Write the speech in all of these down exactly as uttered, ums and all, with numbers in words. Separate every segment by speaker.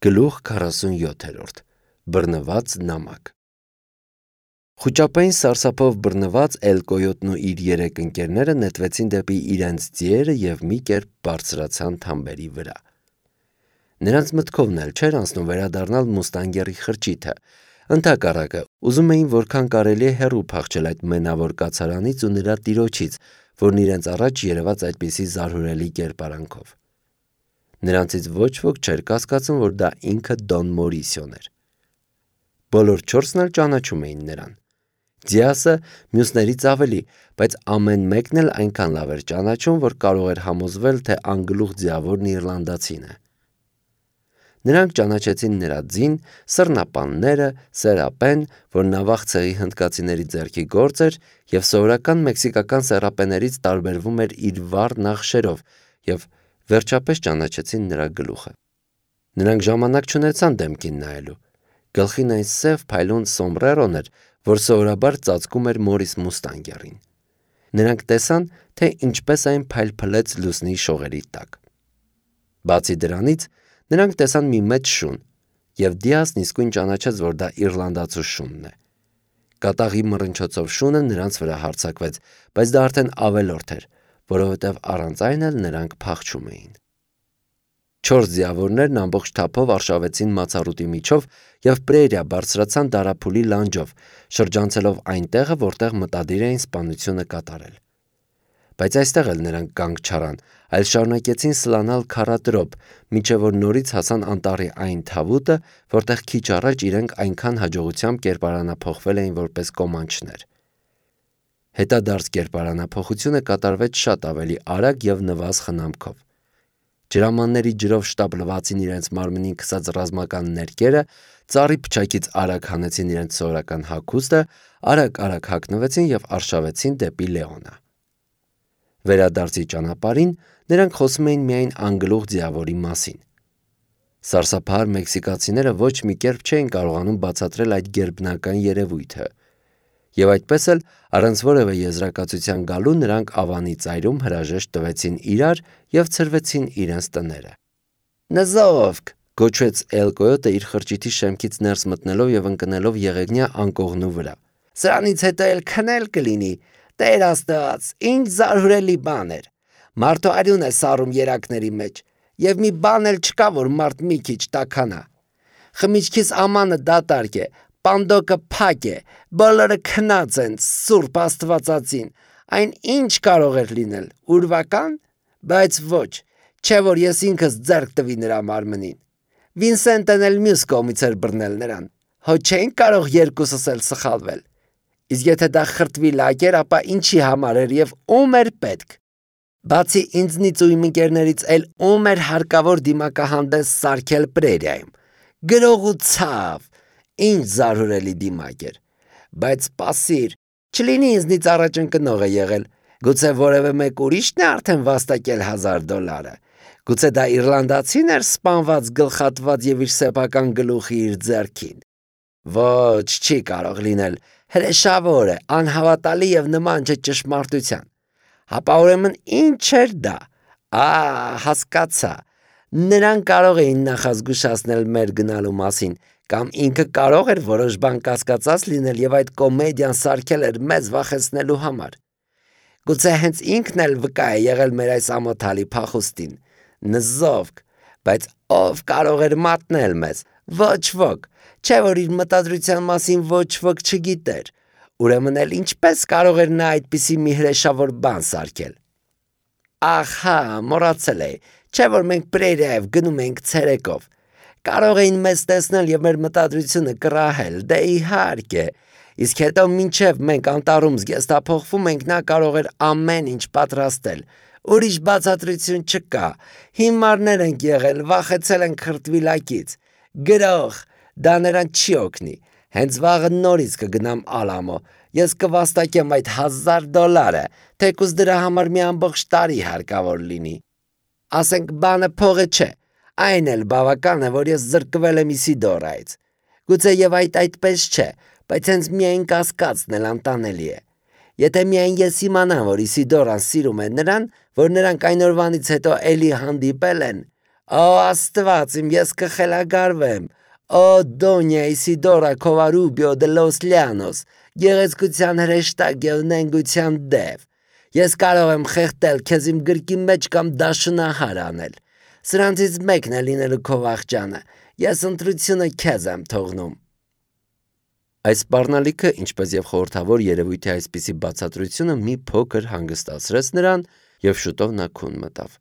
Speaker 1: Գլուխ քառասունյոթ Բռնված նամակ Խուճապային սարսափով բռնված Էլկոյոտն ու իր երեք ընկերները նետվեցին դեպի իրենց ձիերը և մի կերպ բարձրացան թամբերի վրա։ Նրանց մտքովն էլ չէր անցնում վերադառնալ Մուստանգերի խրճիթը, ընդհակառակը ուզում էին որքան կարելի է հեռու փախչել այդ մենավոր կացարանից ու նրա տիրոջից, որն իրենց առաջ երևաց այդպիսի զարհուրելի կերպարանքով։ Նրանցից ոչ ոք չէր կասկածում, որ դա ինքը Դոն Մորիսիոն էր։ Բոլոր չորսն էլ ճանաչում էին նրան։ Դիասը մյուսներից ավելի, բայց ամեն մեկն էլ այնքան լավ էր ճանաչում, որ կարող էր համոզվել, թե անգլուխ ձիավորն իռլանդացին է։ Նրանք ճանաչեցին նրա ձին, սռնապանները, սերապեն, որ նավախ ցեղի հնդկացիների ձեռքի գործ էր և սովորական մեքսիկական սեռապեներից տարբերվում էր իր վառ նախշերով, և վերջապես ճանաչեցին նրա գլուխը։ Նրանք ժամանակ չունեցան դեմքին նայելու։ Գլխին այն սև փայլուն սոմբրերոն էր, որ սովորաբար ծածկում էր Մորիս Մուստանգերին։ Նրանք տեսան, թե ինչպես այն փայլփլեց լուսնի շողերի տակ։ Բացի դրանից, նրանք տեսան մի մեծ շուն, և Դիասն իսկույն ճանաչեց, որ դա իռլանդացու շունն է։ Կատաղի մռնչոցով շունը նրանց վրա հարձակվեց, բայց դա արդեն ավելորդ էր, որովհետև առանց այն էլ նրանք փախչում էին։ Չորս ձիավորներն ամբողջ թափով արշավեցին մացառուտի միջով և պրերիա բարձրացան դարափուլի լանջով, շրջանցելով այն տեղը, որտեղ մտադիր էին սպանությունը կատարել։ Բայց այստեղ էլ նրանք կանգ չառան, այլ շարունակեցին սլանալ քառատրոփ, մինչև որ նորից հասան անտառի այն թավուտը, որտեղ քիչ առաջ իրենք այնքան հաջողությամբ կերպարանափոխվել էին որպես կոմանչներ։ Հետադարձ կերպարանափոխությունը կատարվեց շատ ավելի արագ և նվազ խնամքով։ Ջրամանների ջրով շտապլվացին իրենց մարմնին քսած ռազմական ներկերը, ծառի փչակից արագ հանեցին իրենց սովորական հագուստը, արագ-արագ հագնվեցին և արշավեցին դեպի Լեոնը։ Վերադարձի ճանապարհին նրանք խոսում էին միայն անգլուխ ձիավորի մասին։ Սարսափահար մեքսիկացիները ոչ մի կերպ չէին կարողանում բացատրել այդ գերբնական երևույթը։ Եվ այդպես էլ, առանց որևէ եզրակացության գալու, նրանք ավանի ծայրում հրաժեշտ տվեցին իրար և ցրվեցին իրենց տները։ «Նզովք», գոչեց Էլկոյոտը իր խրճիթի շեմքից ներս մտնելով և ընկնելով եղեգնյա անկողնու վրա։ «Սրանից հետո էլ քնել կլինի, Տեր Աստված, ինչ զարհուրելի բան էր։ Մարդու արյուն է սառում երակների մեջ, և մի բան էլ չկա, որ մարդ մի քիչ տաքանա։ Խմիչքիս ամանը դատարկ է, պանդոկը փակ է, բոլորը քնած են, Սուրբ Աստվածածին, այն ինչ կարող էր լինել, ուրվական, բայց ոչ, չէ որ ես ինքս ձեռք տվի նրա մարմնին։ Վինսենտն էլ մյուս կողմից էր բռնել նրան, հո չէինք կարող երկուսս էլ սխալվել։ Իսկ եթե դա խրտվի լակ էր, ապա ինչի համար էր և ում էր պետք։ Բացի ինձնից ու իմ ընկերներից էլ ում էր հարկավոր դիմակահանդես սարքել պրերիայում։ Գրող ու ցավ, ինչ զարհուրելի դիմակ էր։ Բայց սպասիր, չլինի ինձնից առաջ ընկնող է եղել, գուցե որևէ մեկ ուրիշն է արդեն վաստակել հազար դոլարը։ Գուցե դա իռլանդացին էր սպանված, գլխատված և իր սեփական գլուխը իր ձեռքին։ Ոչ, չի կարող լինել, հրեշավոր է, անհավատալի և նման չէ ճշմարտության։ Հապա ուրեմն ինչ էր դա։ Ա, հասկացա։ Նրանք կարող էին նախազգուշացնել մեր գնալու մասին, կամ ինքը կարող էր որոշ բան կասկածած լինել և այդ կոմեդիան սարքել էր մեզ վախեցնելու համար։ Գուցե հենց ինքն էլ վկա է եղել մեր այս ամոթալի փախուստին։ Նզովք, բայց ով կարող էր մատնել մեզ։ Ոչ ոք, չէ որ իր մտադրության մասին ոչ ոք չգիտեր։ Ուրեմն էլ ինչպես կարող էր նա այդպիսի մի հրեշավոր բան սարքել։ Ահա, մոռացել էի, չէ որ մենք պրերիայով գնում էինք ցերեկով։ Կարող էին մեզ տեսնել և մեր մտադրությունը կռահել, դե իհարկե, իսկ հետո մինչև մենք անտառում զգեստափոխվում ենք, նա կարող էր ամեն ինչ պատրաստել։ Ուրիշ բացատրություն չկա, հիմարներ ենք եղել, վախեցել ենք խրտվի լակից։ Գրող, դա նրան չի օգնի, հենց վաղը նորից կգնամ Ալամո, ես կվաստակեմ այդ հազար դոլարը, թեկուզ դրա համար մի ամբողջ տարի հարկավոր լինի։ Ասենք բանը փողը չէ, այն էլ բավական է, որ ես զրկվել եմ Իսիդորայից։ Գուցե և այդ այդպես չէ, բայց հենց միայն կասկածն էլ անտանելի է։ Եթե միայն ես իմանամ, որ Իսիդորան սիրում է նրան, որ նրանք այն օրվանից հետո էլի հանդիպել են, Ո Աստված իմ, ես կխելագարվեմ։ Ո Դոնյա Իսիդորա Քովարուբիո դե Լոս Լյանոս, գեղեցկության հրեշտակ և նենգության դև։ Ես կարող եմ խեղդել քեզ իմ գրկի մեջ կամ դաշնահար անել։ Սրանցից մեկն է լինելու քո վախճանը։ Ես ընտրությունը քեզ եմ թողնում։ Այս սպառնալիքը, ինչպես և խորհրդավոր երևույթի այսպիսի բացատրությունը մի փոքր հանգստացրեց նրան և շուտով նա քուն մտավ։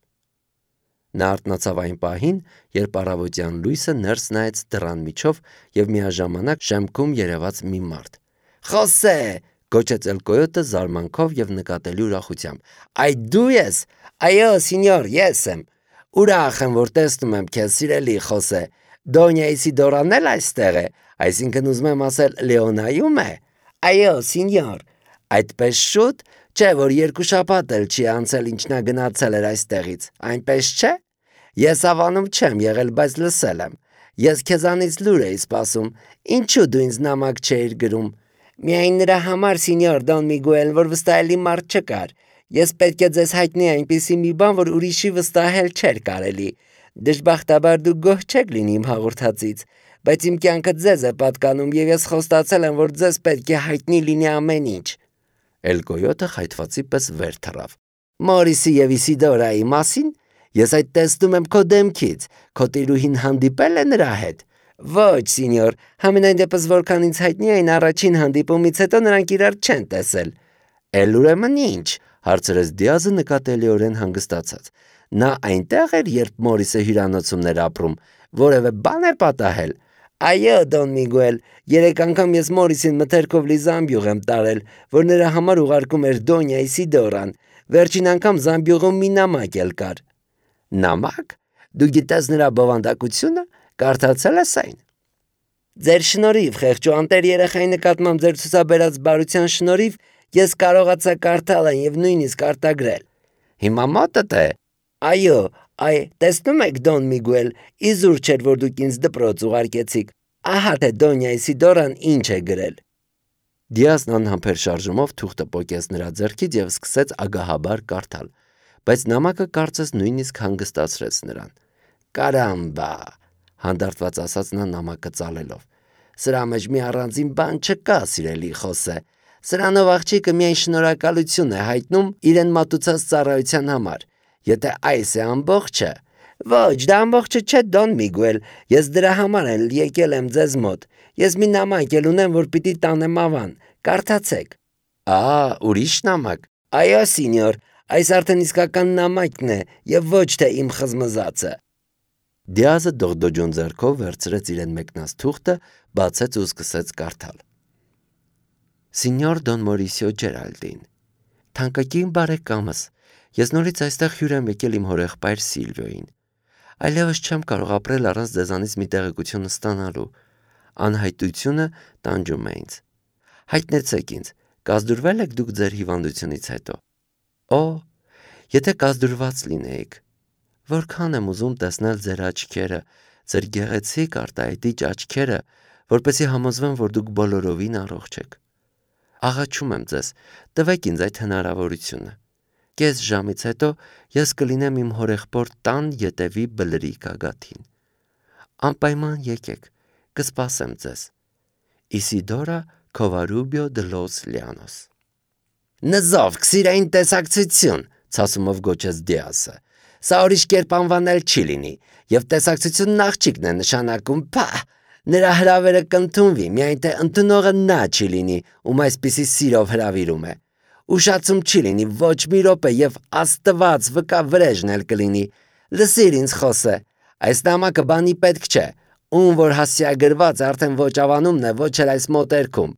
Speaker 1: Նա արթնացավ այն պահին, երբ առավոտյան լույսը ներս նայեց դռան միջով և միաժամանակ շեմքում երևաց մի մարդ։ «Խոսե!» գոչեց Էլկոյոտը զարմանքով և նկատելի ուրախությամբ։ «Այ դու ես։ Այո, սինյոր, ես եմ։ Ուրախ եմ, որ տեսնում եմ քեզ, սիրելի Խոսե։ Դոնյա Իսիդորան էլ այստեղ է, այսինքն ուզում եմ ասել Լեոնայում է։ Այո, սինյոր։ Այդպես շուտ, չէ՞ որ երկու շաբաթ էլ չի անցել, ինչ նա գնացել էր այստեղից, այնպես չէ՞։ Ես հավանում չեմ եղել, բայց լսել եմ։ Ես քեզանից լուր էի սպասում, ինչու դու ինձ նամակ չէիր գրում։ Միայն նրա համար, սինյոր Դոն Միգուել, որ վստահելի մարդ չկար։ Ես պետք է ձեզ հայտնի այնպիսի մի բան, որ ուրիշի վստահել չէր կարելի։ Դժբախտաբար դուք գոհ չեք լինի իմ հաղորդածից, բայց իմ կյանքը ձեզ է պատկանում և ես խոստացել եմ, որ ձեզ պետք է հայտնի լինի ամեն ինչ։ Էլկոյոտը խայթվածի պես վեր թռավ։ Մորիսի և Իսիդորայի մասին ես այդ տեսնում եմ քո դեմքից։ Քո տիրուհին հանդիպել է նրա հետ։ Ոչ, սինյոր, համենայն դեպս որքան ինձ հայտնի է, այն առաջին հանդիպումից հետո նրանք իրար չեն տեսել։ Էլ ուրեմն ինչ, հարցրեց Դիազը նկատելիորեն հանգստացած։ Նա այնտեղ էր, երբ Մորիսը հյուրանոցումն էր ապրում, որևէ բան է պատահել։ Այո, Դոն Միգուել, երեք անգամ ես Մորիսին մթերքով լի զամբյուղ եմ տարել, որ նրա համար ուղարկում էր Դոնյա Իսիդորան։ Վերջին անգամ զամբյուղում մի նամակ էլ կար։ Նամակ։ Դու գիտես նրա բովանդակությունը, կարդացել ես այն։ Ձեր շնորհիվ, խեղճուանտեր երեխայի նկատմամբ ձեր ցուցաբերած բարության շնորհիվ ես կարողացա կարդալ այն և նույնիսկ արտագրել։ Հիմա մոտդ է։ Այո, այ տեսնում եք Դոն Միգուել, իզուր չէր, որ դուք ինձ դպրոց ուղարկեցիք։ Ահա թե Դոնյա Իսիդորան ինչ է գրել։ Դիազն անհամբեր շարժումով թուղթը պոկեց նրա ձեռքից և սկսեց ագահաբար կարդալ, բայց նամակը կարծես նույնիսկ հանգստացրեց նրան։ Կարամբա, հանդարտված ասաց նա նամակը ծալելով։ Սրա մեջ մի առանձին բան չկա, սիրելի Խոսե։ Սրանով աղջիկը միայն շնորհակալություն է հայտնում իրեն մատուցած ծառայության համար։ Եթե այս է ամբողջը։ Ոչ, դա ամբողջը չէ, Դոն Միգուել, ես դրա համար էլ եկել եմ ձեզ մոտ։ Ես մի նամակ էլ ունեմ, որ պիտի տանեմ ավան։ Կարդացեք։ Ահա, ուրիշ նամակ։ Այո, սինյոր, այս արդեն իսկական նամակն է և ոչ թե իմ խզմզածը։ Դիազը դողդոջուն ձեռքով վերցրեց իրեն մեկնած թուղթը, բացեց ու սկսեց կարդալ։ Սինյոր Դոն Մորիսիո Ջերալդին, թանկագին բարեկամս, ես նորից այստեղ հյուր եմ եկել իմ հորեղբայր Սիլվիոյին։ Այլևս չեմ կարող ապրել առանց ձեզանից մի տեղեկություն ստանալու։ Անհայտությունը տանջում է ինձ։ Հայտնեցեք ինձ, կազդուրվել եք դուք ձեր հիվանդությունից հետո։ Օ, եթե կազդուրված լինեիք։ Որքան եմ ուզում տեսնել ձեր աչքերը, ձեր գեղեցիկ արտահայտիչ աչքերը, որպեսզի համոզվեմ, որ դուք բոլորովին առողջ եք։ Աղաչում եմ ձեզ, տվեք ինձ այդ հնարավորությունը։ Կես ժամից հետո ես կլինեմ իմ հորեղբոր տան ետևի բլրի գագաթին։ Անպայման եկեք, կսպասեմ ձեզ։ Իսիդորա Քովարուբիո դե Լոս Լյանոս։ Նզով, քսիրային տեսակցություն, ցասումով գոչեց Դիազը։ Սա ուրիշ կերպ անվանել չի լինի, և տեսակցությունն աղջիկն է նշանակում, փա, նրա հրավերը կընդունվի, միայն թե ընդունողը նա չի լինի, ում այսպիսի սիրով հրավիրում է։ Ուշացում չի լինի ոչ մի րոպե և Աստված վկա վրեժն էլ կլինի։ Լսիր ինձ Խոսե, այս նամակը բանի պետք չէ, ում որ հասցեագրված արդեն ոչ ավանումն է, ոչ էլ այս մոտերքում։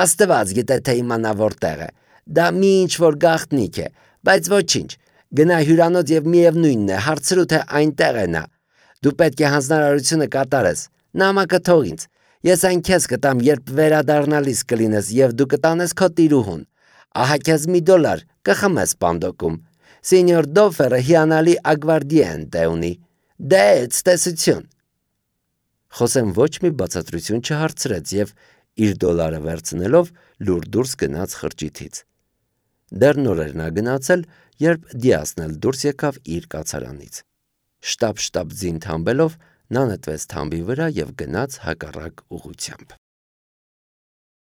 Speaker 1: Աստված գիտե թե իմանա որտեղ է։ Դա մի ինչ-որ գաղտնիք է, բայց ոչինչ։ Գնա հյուրանոց և միևնույնն է, հարցրու թե այնտեղ է նա։ Դու պետք է հանձնարարությունը կատարես։ Նամակը թող ինձ։ Ես այն քեզ կտամ, երբ վերադառնալիս կլինես և դու կտանես քո տիրուհուն։ Ահա քեզ մի դոլար, կխմես պանդոկում։ Սինյոր Դոֆերը հիանալի ագվարդիենտե ունի։ Դե ցտեսություն։ Խոսեն ոչ մի բացատրություն չհարցրեց և իր դոլարը վերցնելով լուր դուրս գնաց խրճիթից։ Դեռ նոր էր նա գնացել, երբ Դիազն էլ դուրս եկավ իր կացարանից։ Շտապ-շտապ ձին թամբելով նա նետվեց թամբի վրա և գնաց հակառակ ուղղությամբ։